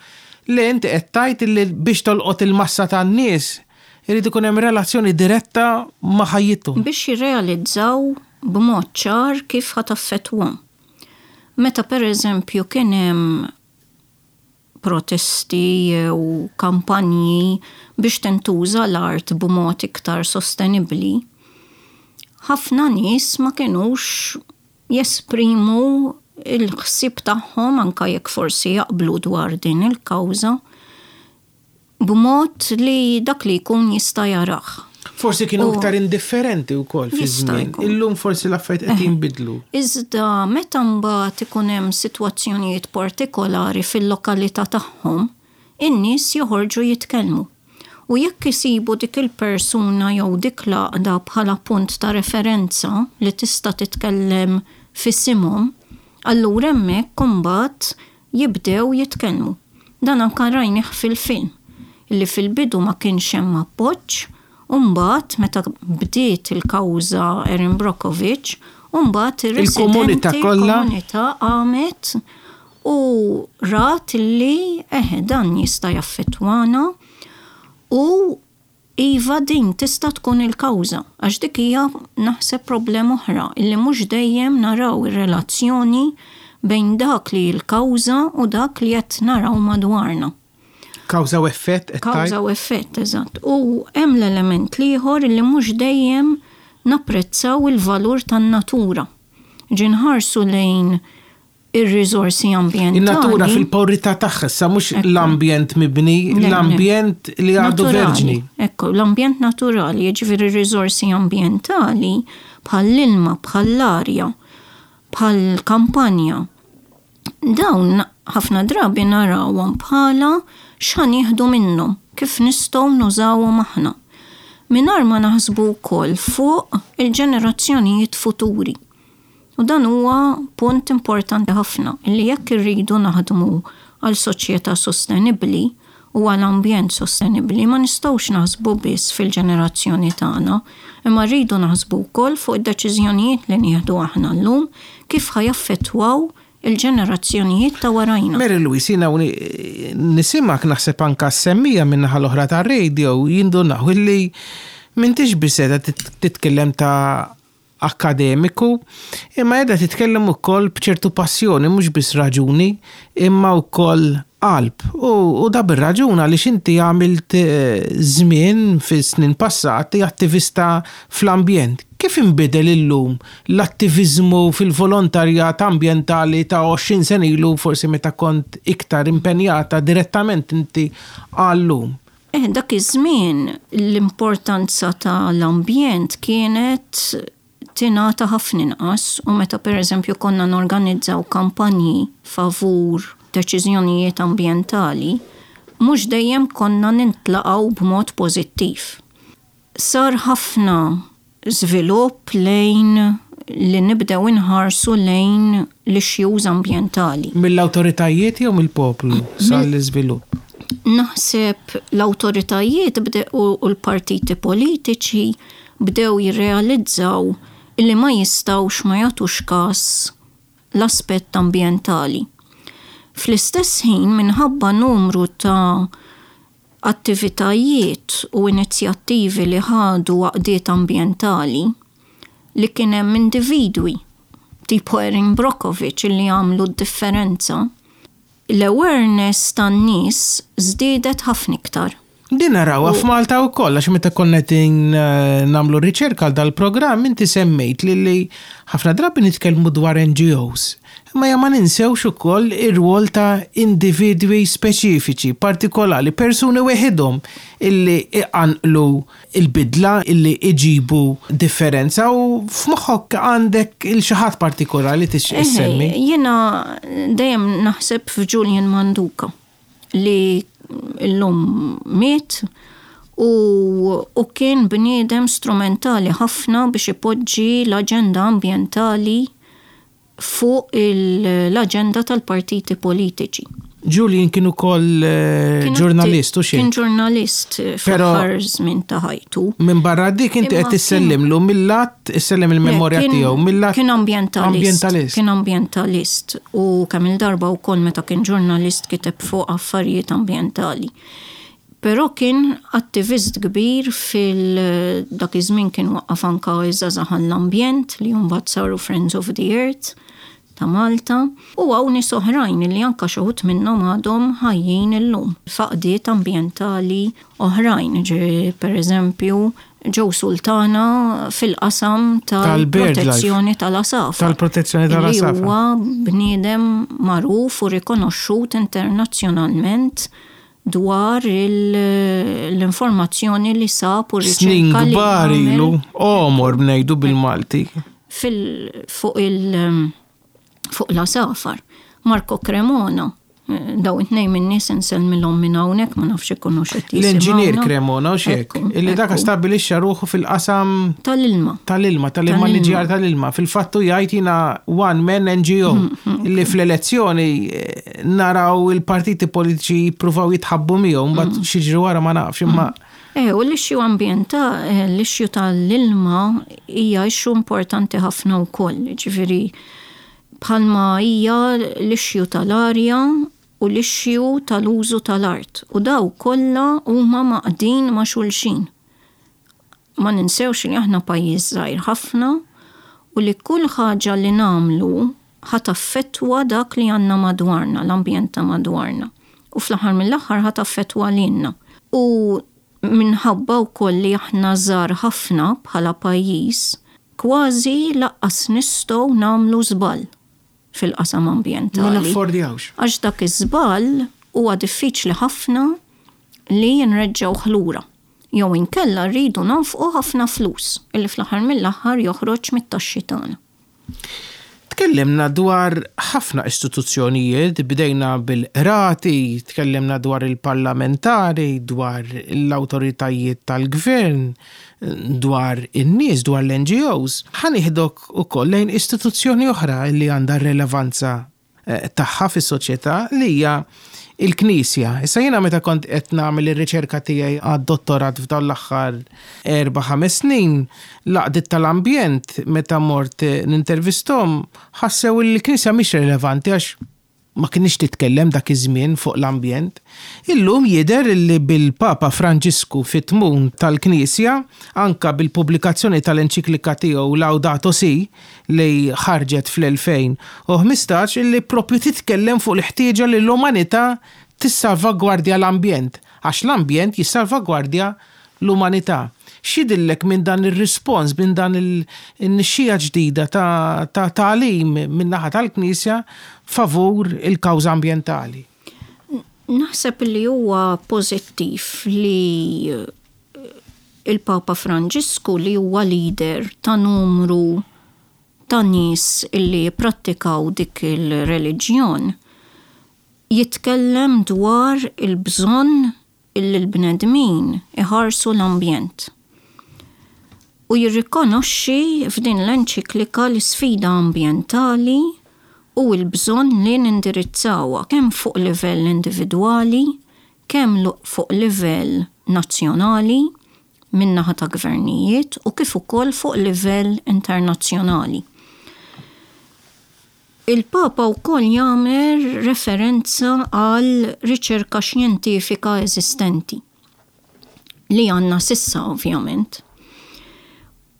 Le, inti qed tgħid li biex tolqot il-massa tan-nies irid ikun hemm relazzjoni diretta ma' ħajjithom. Biex jirrealizzaw b'mod ċar kif ħa taffettwahom. Meta per eżempju kien hemm protesti jew kampanji biex tintuża l-art b'mod iktar sostenibbli, ħafna nies ma kinux jesprimu il-ħsieb tagħhom, anka jekk forsi jaqblu dwar din il-kawża, b'mod li dak li jkun jista' jarah. Forsi kienu U- iktar indifferenti wkoll fi Jista' żmien. jkun. Illum forsi l-affarijiet qed jinbidlu. Iżda meta mbagħad ikun hemm sitwazzjonijiet partikolari fil-lokalità tagħhom, in-nies joħorġu jitkellmu. U jekk isibu dik il-persuna jew dik l-għaqda bħala punt ta' referenza li tista' titkellem f'isimhom, allura hemmhekk imbagħad jibdew jitkellmu. Dan anka rajnih fil-film, illi fil-bidu ma kienx hemm appoġġ, u mbagħad meta bdiet il-kawża Erin Brockovich, u mbagħad Il-komunità ir-residenti, kollha? il-komunità qamet u rat li eħe, dan jista' jaffettwana u iva, din tista' tkun il-kawża, għax dik hija, naħseb, problema oħra illi mhux dejjem naraw ir-relazzjoni bejn dak li l-kawża u dak li qed naraw madwarna. Kawża u effett qed Kawża tgħid? u effett, eżatt. U hemm l-element l-ieħor li mhux dejjem napprezzaw il-valur tan-natura. Ġi nħarsu lejn ir-riżorsi ambjentali. In-natura fil-purità tagħha, issa mhux Ekku. l-ambjent mibni, Le, le. l-ambjent li għadu Naturali. verġni. Ekku, l-ambjent naturali, jiġifieri r-riżorsi ambjentali bħall-ilma, bħall-arja, bħall-kampanja. Dawn ħafna drabi narawhom bħala x'ħa nieħdu minnhom, kif nistgħu nużawhom aħna. Mingħajr ma naħsbu wkoll fuq il-ġenerazzjonijiet futuri. U dan huwa punt importanti ħafna, li jekk irridu naħdmu għal soċjetà sostenibbli u għal ambjent sostenibbli, ma nistgħux naħsbu biss fil-ġenerazzjoni tagħna, imma rridu naħsbu wkoll fuq id-deċiżjonijiet li nieħdu aħna llum kif ħa jaffettwaw il-ġenerazzjonijiet ta' warajna. Mary Louise, jiena nismgħek, naħseb anka s-semmiegħa min-naħa l-oħra ta' radio jindunaw illi m'intix biss qiegħda titkellem ta' akademiku, imma qiegħda titkellem ukoll b'ċertu passjoni, mhux biss raġuni, imma wkoll qalb. U, u da bir-raġuna li inti għamilt eh, żmien fi snin passati attivista fl-ambjent. Kif inbidel illum l-attivizmu fil-volontarjat ambjentali ta' għoxrin sena ilu, forsi meta kont iktar impenjata direttament inti, għallum? Eh, dak iż-żmien l-importanza tal-ambjent kienet tingħata ħafna inqas, u meta pereżempju konna norganizzaw kampanji favur deċiżjonijiet ambjentali, mhux dejjem konna nintlaqgħu b'mod pożittiv. Sar ħafna żvilupp lejn li nibdew inħarsu lejn l-issues ambjentali. Mill-awtoritajiet jew mill-poplu sar l-iżvilupp? Naħseb l-awtoritajiet u l-partiti politiċi bdew jirrealizzaw illi ma jistgħux ma jagħtux kas l-aspett ambjentali. Fl-istess ħin, minħabba numru ta' attivitajiet u inizjattivi li ħadu għaqdiet ambjentali, li kien hemm individwi tipo Erin Brockovich li għamlu d-differenza, l-awareness tan-nies żdiedet ħafna iktar. Din narawha f'Malta wkoll, għax meta konna qegħdin eh, nagħmlu riċerka għal dal-programm, inti semmejt li li ħafna drabi nitkellmu dwar N G Os. Imma ja ma ninsewx ukoll ir-rwol ta' individwi speċifiċi, partikolari, persuni weħidhom illi iqanqlu il-bidla, illi iġibu differenza, u f'moħħok għandek lil xi ħadd partikolari tixtieq issemmi? Jiena dejjem naħseb f'Julian Manduca, li illum miet u, u kien bniedem strumentali ħafna biex ipoġġi l-aġenda ambjentali fuq l-aġenda tal-partiti politiċi. Julian kien ukoll eh, Kien ġurnalist u Kien xejn. ġurnalist eh, Però- fl-aħħar żmien ta' ħajtu. Minn barra dik inti Imma qed issellimlu mill-lat, issellem il-memorja Le, kien- tiegħu, mill-lat Kien ambientalist. Ambientalist. Kien ambientalist u kemm il-darba wkoll meta kien ġurnalist kiteb fuq affarijiet ambientali. Però kien attivist kbir fil dak iż-żmien kien waqqaf anka iż-żgħażagħ l-ambjent li mbagħad saru Friends of the Earth ta' Malta u hawn nies oħrajn li anka xi wħud minnhom għadhom ħajjin illum. F'għaqdiet ambjentali oħrajn, ġi per eżempju Joe Sultana fil-qasam Tal-bird life. tal-protezzjoni tal-għasafar. Tal-protezzjoni tal-għasafar. Li huwa bniedem magħruf u rikonoxxut internazzjonalment dwar il- l-informazzjoni li sab u Snin riċerka li kbar għamel ilu, omor ngħidu bil-Malti. fil fuq il fuq l-għasafar. Marco Cremona, eh, daw it-tnejn minn nies insellmilhom minn hawnhekk ma nafx ikunu xi L-inġinier Cremona u xek, illi dak stabbilixxa ruħu fil-qasam tal-ilma. Tal-ilma, tal-immaniġjar tal-ilma. Fil-fattu jgħid jiena one man N G O, illi fl-elezzjoni eh, naraw il-partiti politiċi jippruvaw jitħabbu miegħu, mbagħad x'jiġri wara ma nafx, imma Eh, u l-issue ambienta, eh, l-issue tal-ilma hija issue importanti ħafna wkoll, ġifieri bħalma hija l-issue tal-arja u l-issue tal-użu tal-art. U daw kollha huma mgħaqqdin ma' xulxin. Ma ninsewx li aħna pajjiż żgħir ħafna u li kull ħaġa li nagħmlu ħa taffettwa dak li għandna madwarna, l-ambjent ta' madwarna. U fl-aħħar mill-aħħar ħa taffettwa lilna. U minħabba wkoll li aħna żgħar ħafna bħala pajjiż, kważi lanqas nistgħu nagħmlu żball fil-qasam ambjentali. Ma naffordjawx. Għax dak iż-żball huwa diffiċli ħafna li nreġġgħu lura. Jew inkella rridu nonfqu ħafna flus illi fl-aħħar mill-aħħar joħroġ mit-taxxi tagħna. Tkellimna dwar ħafna istituzzjonijiet, bdejna bil-qrati, tkellimna dwar il-parlamentari, dwar l-autoritajiet tal-gvern, dwar in-nies, dwar l-N G Os. Ħa nieħdok ukoll lejn istituzzjoni oħra li għandha relevanza eh, tagħha fis-soċjetà, li hija il-Knisja. Issa jiena meta kont qed nagħmel ir-riċerka tiegħi għad-dottorat f'dawn l-aħħar erba' ħames snin, l-għaqdiet tal-ambjent meta mort nintervistom ħassew li l-Knisja mhix relevanti għax ma kienx titkellem dak iż-żmien fuq l-ambjent. Illum jidher li bil-Papa Franġisku fit-tmun tal-Knisja, anka bil-pubblikazzjoni tal-enċiklika tiegħu Laudato Si li ħarġet fl-elfejn u ħmistax, illi propju titkellem fuq l-ħtieġa li l-umanità tissalvagwardja l-ambjent, għax l-ambjent jissalvagwardja l-umanità. X'jidhirlek minn dan il-rispons, minn dan il-nixxija ġdida ta' ta' tagħlim minn naħa tal-Knisja favur il-kawża ambjentali? Naħseb li huwa pożittiv li il-Papa Franġisku, li huwa leader ta' numru ta' nies illi prattikaw dik il-reliġjon, jitkellem dwar il-bżonn illi l-bnedmin iħarsu l-ambjent. U jirrikonoxxi f'din l-enċiklika l-sfida ambjentali u l-bżonn li nindirizzawha kemm fuq livell individwali, kemm fuq livell nazzjonali min-naħa ta' gvernijiet u kif ukoll fuq livell internazzjonali. Il-Papa wkoll jagħmel referenza għal riċerka xjentifika eżistenti li għandna s'issa, ovvjament.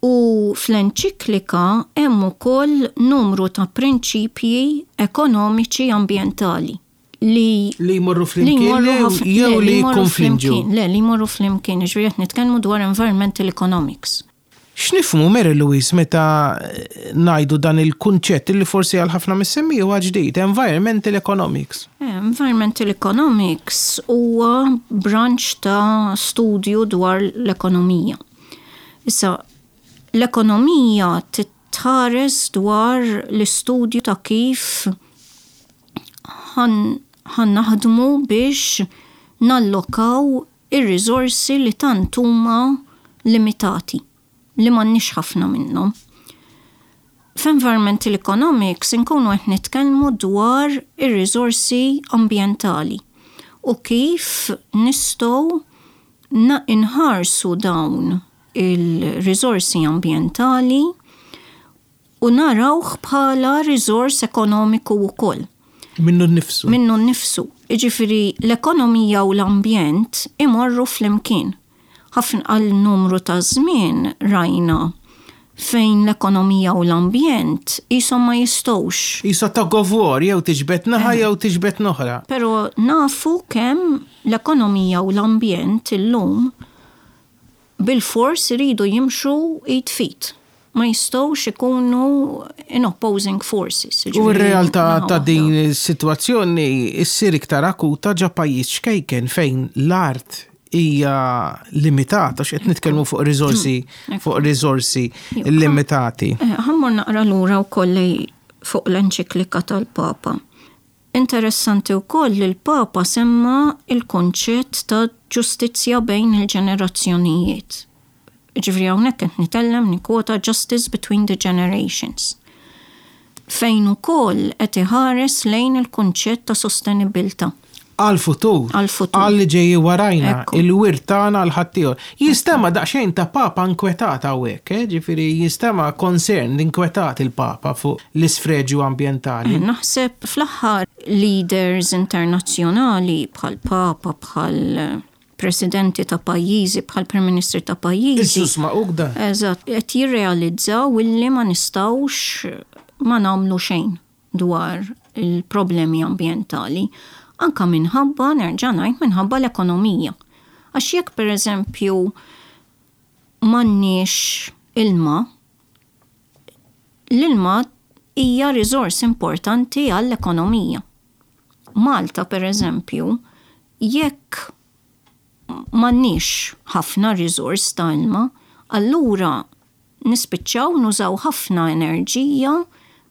U fl-enċiklika hemm ukoll numru ta' prinċipji ekonomiċi ambjentali li li jmorru flimkien jew li jikkonfliġġu. Le, li jmorru flimkien, ġifieri qed nitkellmu dwar environmental economics. X'nifhmu, Mary Louise, meta ngħidu dan il-kunċett li forsi għal ħafna mis-semmi huwa ġdid, environmental economics? Eh, environmental economics huwa branch ta' studju dwar l-ekonomija. Issa, l-ekonomija titħares dwar l-istudju ta' kif ħa naħdmu biex nallokaw ir-riżorsi li tant huma limitati, li m'għandniex ħafna minnhom. F'environmental economics inkunu qed nitkellmu dwar ir-riżorsi ambjentali u kif nistgħu inħarsu dawn il-riżorsi ambjentali u narawh bħala riżors ekonomiku wkoll. Minnu nnifsu. Minnu nnifsu. Jiġifieri l-ekonomija u l-ambjent imorru flimkien. Ħafna għal numru ta' żmien rajna fejn l-ekonomija u l-ambjent qishom ma jistgħux. Qisha tug of war, jew tiġbed naħa jew tiġbed oħra. Però nafu kemm l-ekonomija u l-ambjent illum bil-fors iridu jimxu id f'id. Ma jistgħux ikunu in opposing forces. U r-realtà ta' din is-sitwazzjoni issir iktar akuta ġo pajjiż ċkejken fejn l-art hija limitata, x'qed nitkellmu fuq riżorsi fuq riżorsi limitati. Ħa mmur naqra lura wkoll fuq l-enċiklika tal-Papa. Interessanti wkoll li l-Papa semma il-konċett ta' ġustizzja bejn il-ġenerazzjonijiet. Ġifieri hawnhekk qed nitkellem nikkwota Justice Between the Generations. Fejn ukoll qed iħares lejn il-kunċett ta' sostenibilità. Għal-futur. Għal-futur. Għal li ġejji warajna, il-wirt tagħna għal ħaddieħor. Jinstema' daqsxejn ta' Papa inkwetat hawnhekk, eh? Ġifieri jinstema' concerned inkwetat il-Papa fuq l-isfreġju ambjentali. Eh, naħseb fl-aħħar leaders internazzjonali bħal Papa, bħal presidenti ta' pajjiżi, bħal Prim Ministri ta' pajjiżi. Il-sus maqugda. Eżatt, qed jirrealizzaw illi ma nistgħux ma nagħmlu xejn dwar il-problemi ambjentali. Anka minħabba, nerġa' ngħid, minħabba l-ekonomija. Għax jekk pereżempju m'għandniex ilma, l-ilma hija riżors importanti għall-ekonomija. Malta pereżempju, jekk m'għandniex ħafna riżors ta' ilma, allura nispiċċaw nużaw ħafna enerġija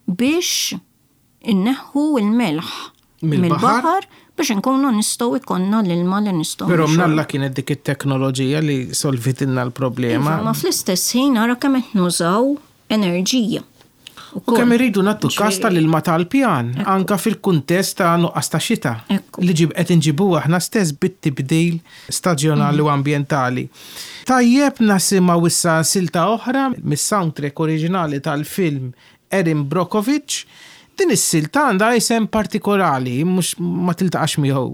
biex inneħħu il-melħ mill-baħar biex nkunu nistgħu ikollna l-ilma li nistgħu. Però mnalla kienet dik it-teknoloġija li solvitilna l-problema. Ma fl-istess ħin ara kemm qed nużaw enerġija. U kemm irridu nagħtu kas tal-ilma tal-pjan, anka fil-kuntest ta' nuqqas ta' xita, li ġib qed inġibu aħna stess bit-tibdil staġjonali u ambjentali. Tajjeb nisimgħu issa silta oħra mis-soundtrack oriġinali tal-film Erin Brockovich. Din is-silta għandha isem partikolari, mhux ma tiltaqax miegħu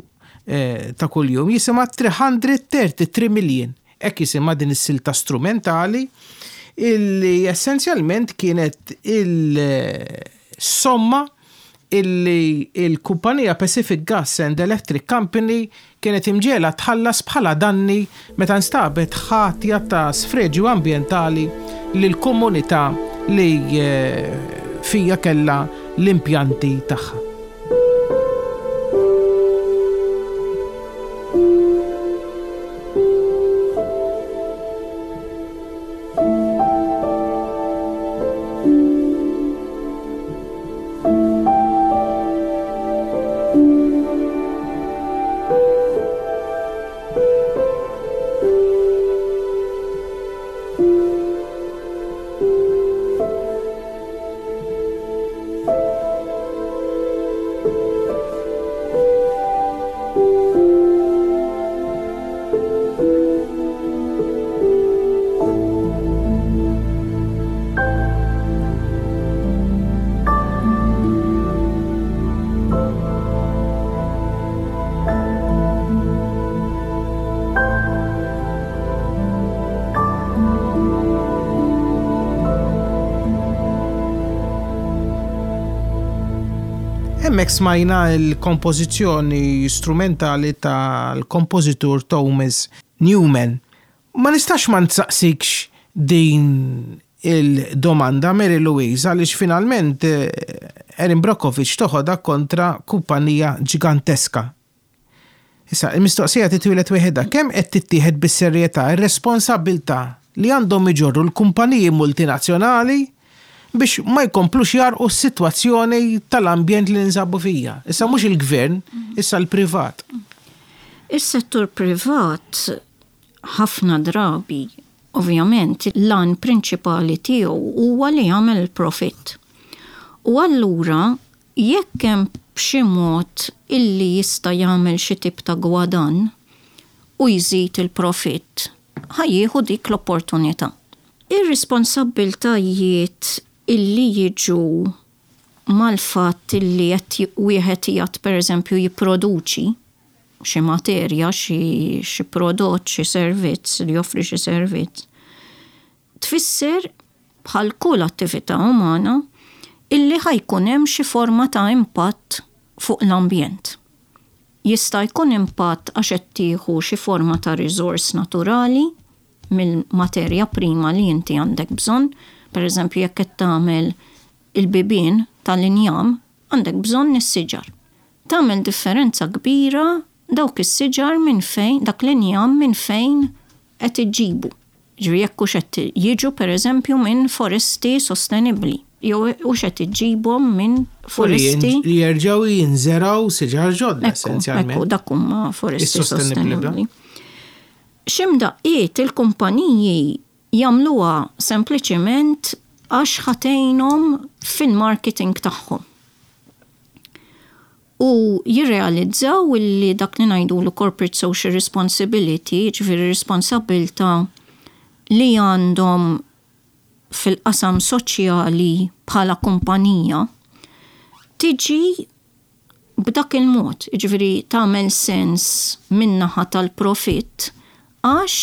ta' kuljum, jisimha three hundred thirty-three million. Hekk jisimha din is-silta strumentali illi essenzjalment kienet il-somma illi il-kumpanija Pacific Gas and Electric Company kienet imġiegħla tħallas bħala danni meta nstabet ħatja ta' sfreġju ambjentali lill-komunità li fija kella l-impjanti tagħha. Hemmhekk smajna l-kompożizzjoni strumentali tal-kompożitur Thomas Newman. Ma nistax ma nsaqsikx din il-domanda, Mary Louise, għaliex finalment Erin Brockovich toħodha kontra kumpanija ġiganteska. Issa, il-mistoqsija titwieled waħedha, kemm qed tittieħed bis-serjetà ir-responsabilità li għandhom iġorru l-kumpaniji multinazzjonali biex ma jkomplux jgħarrqu s-sitwazzjoni tal-ambjent li ninsabu fija? Issa mhux il-gvern, issa l-privat. Is-settur privat ħafna drabi, ovvjament, l-għan prinċipali tiegħu huwa li jagħmel il-profit. U allura jekk hemm b'xi mod illi jista' jagħmel xi tip ta' gwadann u jżid il-profitt, ħa jieħu dik l-opportunità. Ir-responsabbiltajiet illi jiġu mal-fatt illi qed wieħed qiegħed, pereżempju, jipproduċi xi materja, xi, xi prodott, xi servizz, li joffri xi servizz, tfisser, bħal kull attività umana, illi ħa jkun hemm xi forma ta' impatt fuq l-ambjent. Jista' jkun impatt għax qed tieħu xi forma ta' riżors naturali mill-materja prima li inti għandek bżonn. Per eżempju, jekk qed tagħmel il-bibien tal-injam, għandek bżonn is-siġar. Tagħmel differenza kbira dawk is-siġar minn fejn, dak l-injam minn fejn qed iġibu. Ġifieri jekk hux qed jiġu, pereżempju, minn foresti sostenibbli jew hux qed iġibhom minn foresti li jerġgħu jinżeraw siġar ġodda essenzjalment. Ekku, dak huma foresti sostenibbli. X'imdaqqiet il-kumpaniji jagħmluha sempliċement għax ħa tgħinhom fil-marketing tagħhom. U jirrealizzaw li dak li ngħidulu corporate social responsibility, ġifieri responsabbiltà li għandhom fil-qasam soċjali bħala kumpanija, tiġi b'dak il-mod, ġifieri tagħmel sens min-naħa tal-profitt għax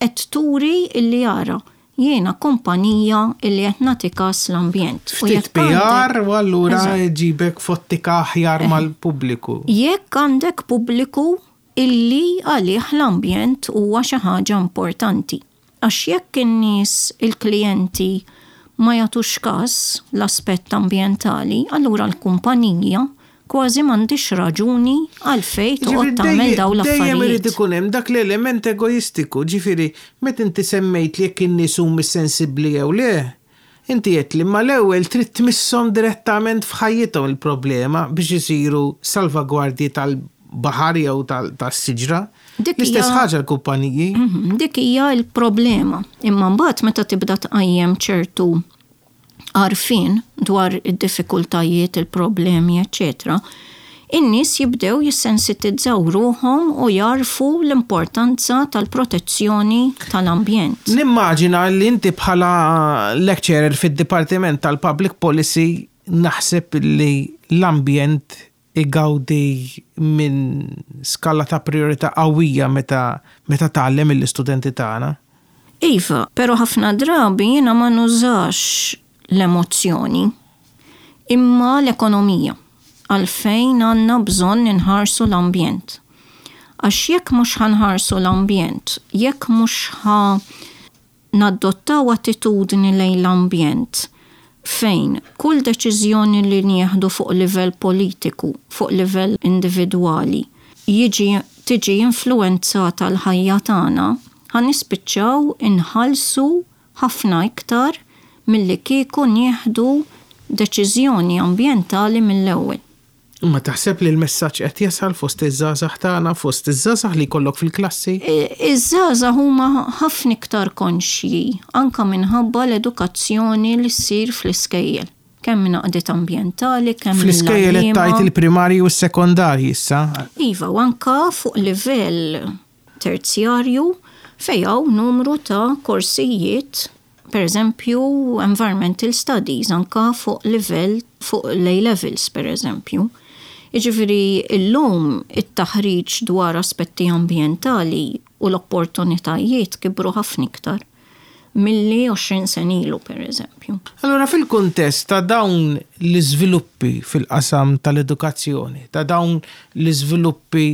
qed turi illi jara jiena kumpanija illi qed nagħti kas l-ambjent. Ftit P R u allura ġibek fottika aħjar mal-pubbliku. Jekk għandek pubbliku illi għalih l-ambjent huwa xi ħaġa importanti. Għax jekk in-nies, il-klijenti, ma jagħtux każ l-aspett ambjentali, allura l-kumpanija kważi m'għandix raġuni għalfejn toqgħod tagħmel dawn Dejjem irid l-affarijiet. ikun hemm dak l-element egoistiku, ġifieri meta inti semmejt li jekk in-nies huma sensibbli jew le, inti qed li ma l-ewwel trid tmisshom direttament f'ħajjithom il-problema biex isiru salvagwardji tal-baħar jew tas-siġra. Dik L-istess hija- ħaġa l-kumpaniji. Mhm, Dik hija l-problema. Imma mbagħad meta tibda tqajjem ċertu għarfien dwar id-diffikultajiet, il-problemi, eċċetera, in-nies jibdew jissensitizzaw ruħhom u jarfu l-importanza tal-protezzjoni tal-ambjent. Nimmaġina li inti bħala lecturer fid-Dipartiment tal-Public Policy naħseb li l-ambjent igawdi minn skala ta' priorità qawwija meta meta tgħallem l-istudenti tagħna. Iva, pero ħafna drabi jiena ma nużax l-emozzjoni, imma l-ekonomija, għalfejn għandna bżonn inħarsu l-ambjent. Għax jekk mhux ħa nħarsu l-ambjent, jekk mhux ħa nadottaw attitudni lejn l-ambjent, fejn kull deċiżjoni li nieħdu fuq livell politiku, fuq livell individwali, jiġi tiġi influenzata l-ħajja tagħna, ħa nispiċċaw inħallsu ħafna iktar milli kieku nieħdu deċiżjoni ambjentali mill-ewwel. Imma taħseb li l-messaġġ qed jasal fost iż-żgħażagħ tagħna, fost iż-żgħażagħ li jkollok fil-klassi? Iż-żgħażagħ huma ħafna iktar konxji anka minħabba l-edukazzjoni li ssir fl-iskejjel. Kemm minn għaqdiet ambjentali, kemm Fl-iskejjel qed mill-għalliema. tgħid il-primarji u s-sekondarji issa. Iva, u anka fuq livell terzjarju fejn hawn numru ta' korsijiet, per eżempju environmental studies, anka fuq livell fuq l-A levels, per eżempju. Jiġifieri illum it-taħriġ dwar aspetti ambjentali u l-opportunitajiet kibru ħafna iktar milli għoxrin sena ilu, per eżempju. Allora, fil-kuntest ta' dawn l-iżviluppi fil-qasam tal-edukazzjoni, ta' dawn l-iżviluppi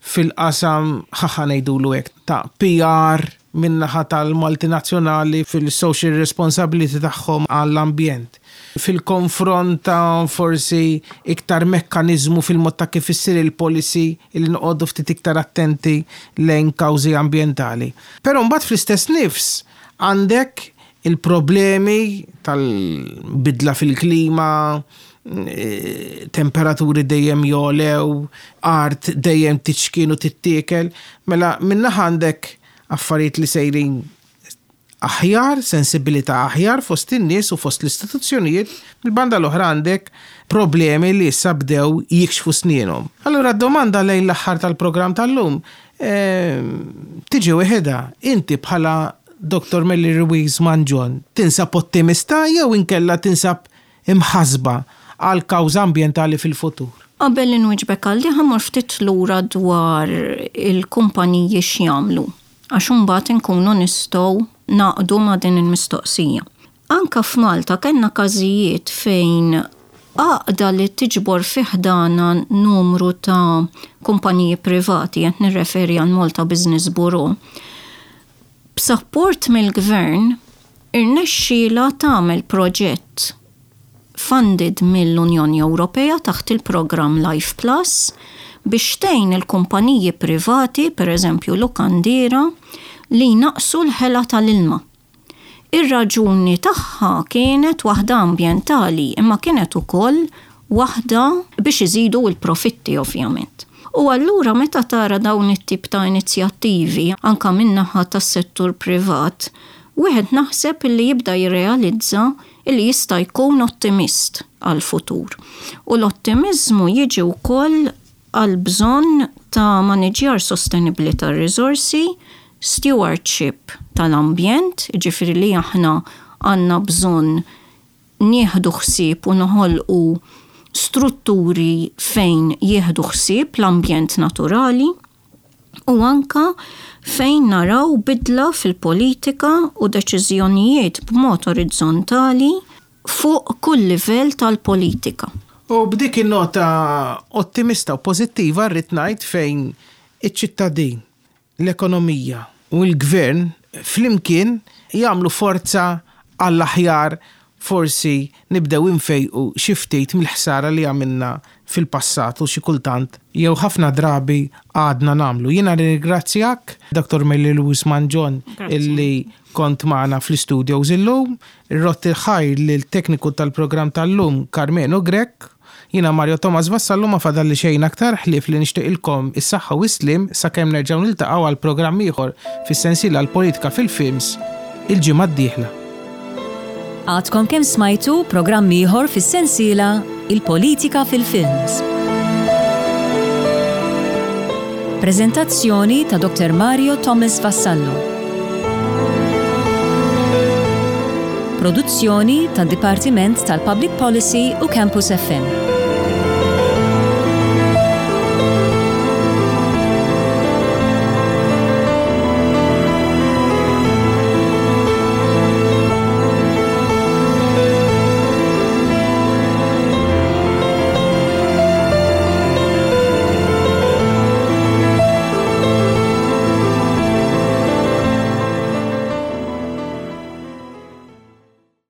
fil-qasam, ħa ngħidulu hekk, ta' P R min-naħa tal-multinazzjonali fil-social responsibility tagħhom għall-ambjent, fil-konfront ta' forsi iktar mekkanizmu fil-mod ta' kif issir il-policy li noqogħdu ftit iktar attenti lejn kawżi ambjentali. Però mbagħad fl-istess nifs għandek il-problemi tal-bidla fil-klima, eh, temperaturi dejjem jogħlew, art dejjem tiċkien u tittiekel, mela min-naħa għandek affarijiet li sejrin Aħjar, sensibilità aħjar fost in-nies u fost l-istituzzjonijiet, mill-banda l-oħra għandek problemi li issa bdew jikxfu snienhom. Allura d-domanda lejn l-aħħar tal-programm tal-lum ehm, tiġi weħeda, inti bħala Doktor Melly Ruiz Mangion tinsab ottimista jew inkella tinsab imħasba għal kawża ambjentali fil-futur? Qabel inwiġbek għal di, ħa mmur ftit lura dwar il-kumpaniji x'jagħmlu, għax imbagħad inkunu nistgħu naqdu ma' din il-mistoqsija. Anka f'Malta kellna każijiet fejn għaqda li tiġbor fi ħdanha numru ta' kumpaniji privati, qed nirreferi għal Malta Business Bureau, b'sapport mill-gvern irnexxiela tagħmel proġett funded mill-Unjoni Ewropea taħt il-programm Life Plus biex tgħin il-kumpaniji privati, per eżempju lukandiera, li naqsu l-ħela tal-ilma. Ir-raġuni tagħha kienet waħda ambjentali, imma kienet ukoll waħda biex iżidu l-profitti, ovvjament. U allura meta tara dawn it-tip ta' inizjattivi anka min-naħa tas-settur privat, wieħed naħseb illi jibda jirrealizza illi jista' jkun ottimist għal-futur. U l-ottimizmu jiġi wkoll għal bżonn ta' maniġjar sostenibli tar-riżorsi, stewardship tal-ambjent, ġifieri li aħna għandna bżonn nieħdu ħsieb u noħolqu strutturi fejn jieħdu ħsieb l-ambjent naturali u anka fejn naraw bidla fil-politika u deċiżjonijiet b'mod orizzontali fuq kull livell tal-politika. U b'dik in-nota ottimista u pożittiva rrid ngħid fejn iċ-ċittadin, l-ekonomija u l-gvern flimkien jagħmlu forza għall-aħjar, forsi nibdew infejqu xi ftit mill-ħsara li għamilna fil-passat u xi kultant jew ħafna drabi għadna nagħmlu. Jiena nirringrazzjak, Doktor Melly Louis Mangion, Grazzi. illi kont magħna fl-studios illum, irrodd il-ħajr lil tekniku tal-programm tal-lum, Carmeno Grech. Jiena Mario Thomas Vassallo, ma fadalli xejn aktar ħlief li nixtieqilkom is-saħħa u s-slim sakemm nerġgħu niltaqgħu għal programm ieħor fis-sensiela l-politika fil-films il-ġimgħa d-dieħla. Għadkom kemm smajtu programm ieħor fis-sensiela Il-Politika fil-Films. Prezentazzjoni ta' Doktor Mario Thomas Vassallo. Produzzjoni tad Dipartiment tal-Public Policy u Campus F M.